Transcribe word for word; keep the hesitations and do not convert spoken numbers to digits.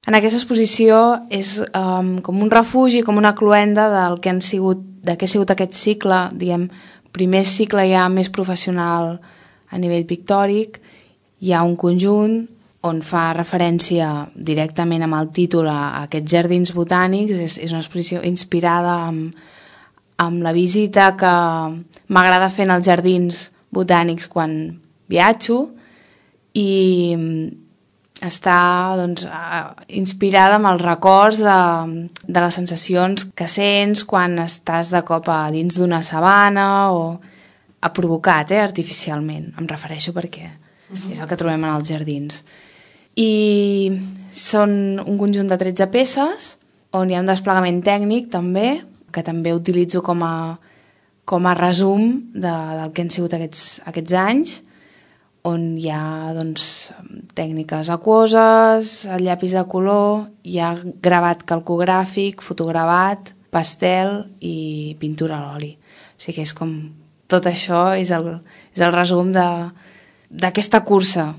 En aquesta exposició és um, com un refugi, com una cloenda del que han sigut, de què ha sigut aquest cicle, diguem, primer cicle ja més professional a nivell pictòric. Hi ha un conjunt on fa referència directament amb el títol a aquests jardins botànics. És, és una exposició inspirada amb, amb la visita que m'agrada fer en els jardins botànics quan viatjo, i està doncs, inspirada amb els records de, de les sensacions que sents quan estàs de cop a dins d'una sabana, o ha provocat eh, artificialment, em refereixo perquè uh-huh. és el que trobem en els jardins. I són un conjunt de tretze peces on hi ha un desplegament tècnic també, que també utilitzo com a, com a resum de, del que han sigut aquests, aquests anys, on hi ha doncs, tècniques aquoses, el llapis de color, hi ha gravat calcogràfic, fotogravat, pastel i pintura a l'oli. O sigui que és com tot això és el, és el resum de, d'aquesta cursa